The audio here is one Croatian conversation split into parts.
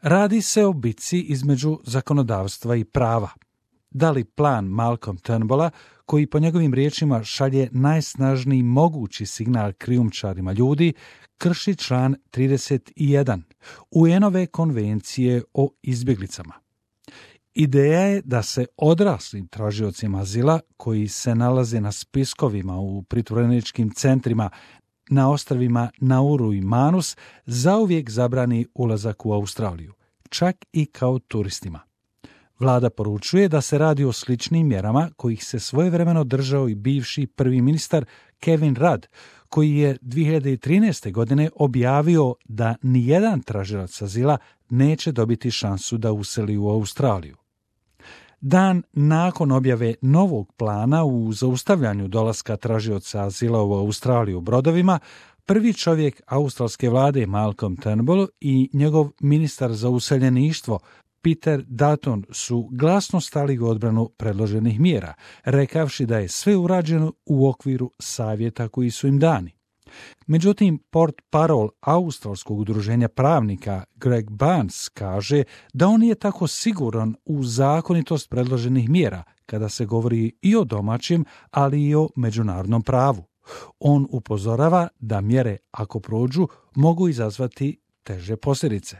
Radi se o bitci između zakonodavstva i prava. Da li plan Malcolm Turnbulla, koji po njegovim riječima šalje najsnažniji mogući signal krijumčarima ljudi, krši član 31 UN-ove konvencije o izbjeglicama. Ideja je da se odraslim tražiocima azila koji se nalaze na spiskovima u pritvoreničkim centrima na ostrvima Nauru i Manus zauvijek zabrani ulazak u Australiju, čak i kao turistima. Vlada poručuje da se radi o sličnim mjerama kojih se svojevremeno držao i bivši prvi ministar Kevin Rudd, koji je 2013. godine objavio da nijedan tražilac azila neće dobiti šansu da useli u Australiju. Dan nakon objave novog plana u zaustavljanju dolaska tražioca azila u Australiju brodovima, prvi čovjek australske vlade Malcolm Turnbull i njegov ministar za useljeništvo Peter Dutton su glasno stali u odbranu predloženih mjera, rekavši da je sve urađeno u okviru savjeta koji su im dani. Međutim, portparol australskog udruženja pravnika Greg Barnes kaže da on nije tako siguran u zakonitost predloženih mjera kada se govori i o domaćem, ali i o međunarodnom pravu. On upozorava da mjere, ako prođu, mogu izazvati teže posljedice.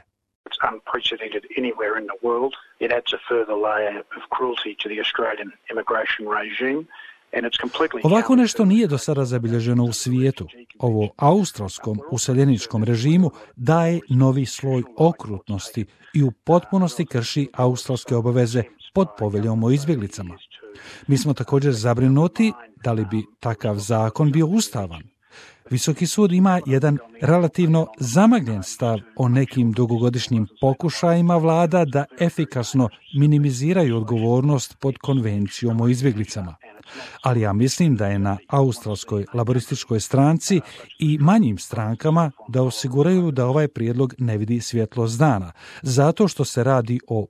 Unprecedented anywhere in the world. It adds a further layer of cruelty to the Australian immigration regime. Ovako nešto nije do sada zabilježeno u svijetu. Ovo australskom useljeničkom režimu daje novi sloj okrutnosti i u potpunosti krši australske obaveze pod poveljom o izbjeglicama. Mi smo također zabrinuti da li bi takav zakon bio ustavan. Visoki sud ima jedan relativno zamagljen stav o nekim dugogodišnjim pokušajima vlada da efikasno minimiziraju odgovornost pod konvencijom o izbjeglicama. Ali ja mislim da je na australskoj laborističkoj stranci i manjim strankama da osiguraju da ovaj prijedlog ne vidi svjetlost dana, zato što se radi o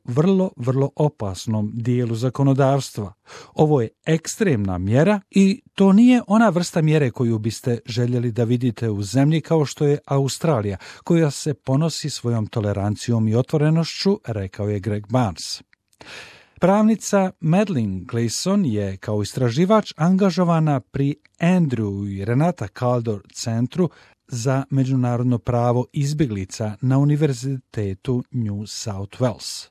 vrlo opasnom dijelu zakonodavstva. Ovo je ekstremna mjera i to nije ona vrsta mjere koju biste željeli da vidite u zemlji kao što je Australija, koja se ponosi svojom tolerancijom i otvorenošću, rekao je Greg Barnes. Pravnica Madeleine Gleeson je kao istraživač angažovana pri Andrew i Renata Kaldor centru za međunarodno pravo izbjeglica na Univerzitetu New South Wales.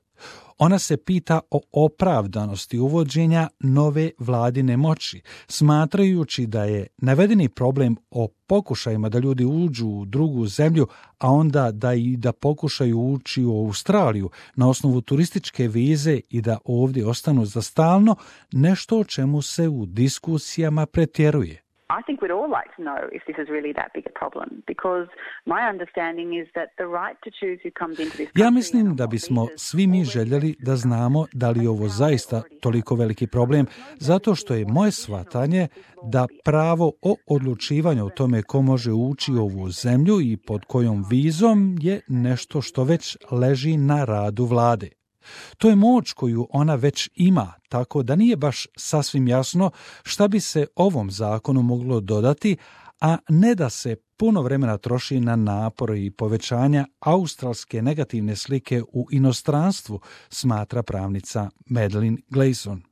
Ona se pita o opravdanosti uvođenja nove vladine moći, smatrajući da je navedeni problem o pokušajima da ljudi uđu u drugu zemlju, a onda da pokušaju ući u Australiju na osnovu turističke vize i da ovdje ostanu za stalno, nešto o čemu se u diskusijama pretjeruje. I think we'd all like to know if this is really that big a problem, because my understanding is that the right to choose who comes into this country. Ja mislim da bismo svi mi željeli da znamo da li je ovo zaista toliko veliki problem, zato što je moje shvatanje da pravo o odlučivanju o tome ko može ući u ovu zemlju i pod kojom vizom je nešto što već leži na radu vlade. To je moć koju ona već ima, tako da nije baš sasvim jasno šta bi se ovom zakonu moglo dodati, a ne da se puno vremena troši na napore i povećanja australske negativne slike u inostranstvu, smatra pravnica Madeleine Gleeson.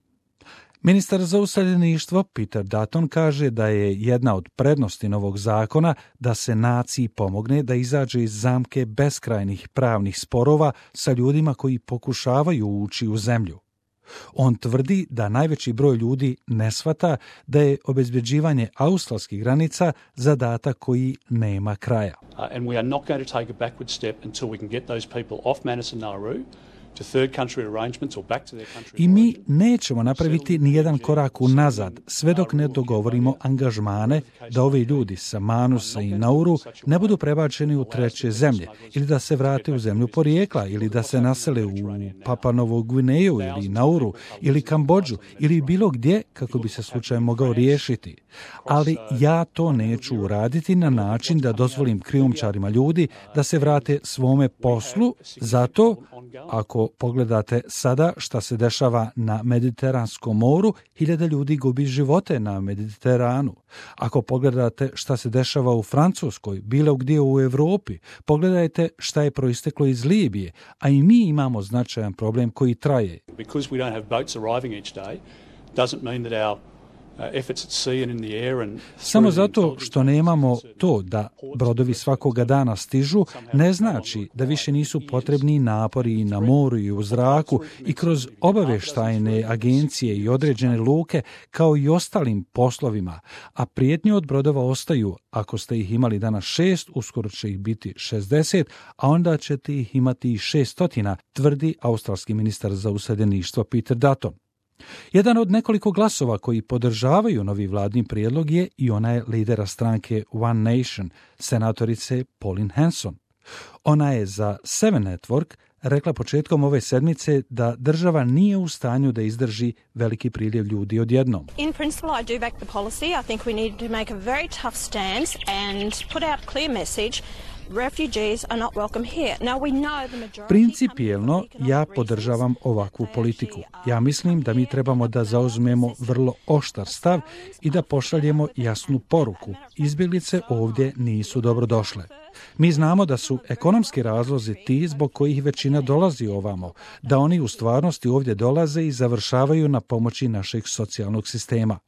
Ministar za useljeništvo Peter Dutton kaže da je jedna od prednosti novog zakona da se naciji pomogne da izađe iz zamke beskrajnih pravnih sporova sa ljudima koji pokušavaju ući u zemlju. On tvrdi da najveći broj ljudi ne shvata da je obezbeđivanje australskih granica zadatak koji nema kraja. And we are not going to take a backward step until we can get those people off Manus and Nauru. I mi nećemo napraviti nijedan korak unazad, sve dok ne dogovorimo angažmane da ovi ljudi sa Manusa i Nauru ne budu prebačeni u treće zemlje, ili da se vrate u zemlju porijekla, ili da se nasele u Papua Novu Gvineju ili Nauru, ili Kambodžu, ili bilo gdje kako bi se slučaj mogao riješiti. Ali ja to neću uraditi na način da dozvolim krijumčarima ljudi da se vrate svome poslu, zato ako Ako pogledate sada šta se dešava na Mediteranskom moru, 1000 ljudi gubi živote na Mediteranu. Ako pogledate šta se dešava u Francuskoj, bilo gdje u Europi, pogledajte šta je proisteklo iz Libije, a i mi imamo značajan problem koji traje. Because we don't have boats arriving each day, doesn't mean that our efforts at sea and in the air and samo zato što nemamo to da brodovi svakoga dana stižu, ne znači da više nisu potrebni napori i na moru i u zraku i kroz obavještajne agencije i određene luke kao i ostalim poslovima, a prijetnje od brodova ostaju. Ako ste ih imali danas 6, uskoro će ih biti 60, a onda ćete ih imati i 600, tvrdi australski ministar za useljeništvo Peter Dutton. Jedan od nekoliko glasova koji podržavaju novi vladin prijedlog je i onaj lidera stranke One Nation, senatorice Pauline Hanson. Ona je za Seven Network rekla početkom ove sedmice da država nije u stanju da izdrži veliki priljev ljudi odjednom. In principle, I do back the policy. I think we need to make a very tough stance and put out a clear message. Refugees are not welcome here. Now we know the majority. Principijelno ja podržavam ovakvu politiku. Ja mislim da mi trebamo da zauzmemo vrlo oštar stav i da pošaljemo jasnu poruku. Izbjeglice ovdje nisu dobrodošle. Mi znamo da su ekonomski razlozi ti zbog kojih većina dolazi ovamo, da oni u stvarnosti ovdje dolaze i završavaju na pomoći našeg socijalnog sistema.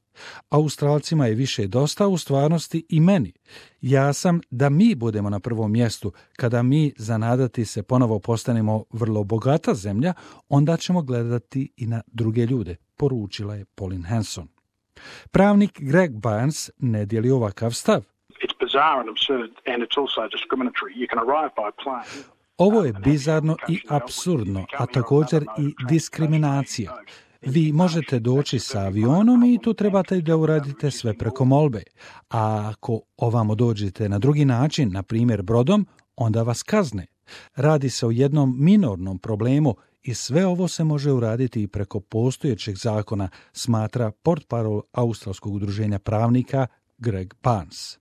Australcima je više dosta u stvarnosti i meni. Ja sam da mi budemo na prvom mjestu. Kada mi zanadati se ponovo postanemo vrlo bogata zemlja, onda ćemo gledati i na druge ljude, poručila je Pauline Hanson. Pravnik Greg Barnes ne dijeli ovakav stav. Ovo je bizarno i apsurdno, a također i diskriminacija. Vi možete doći sa avionom i tu trebate da uradite sve preko molbe. A ako ovamo dođete na drugi način, na primjer brodom, onda vas kazne. Radi se o jednom minornom problemu i sve ovo se može uraditi i preko postojećeg zakona, smatra portparol Australskog udruženja pravnika Greg Barnes.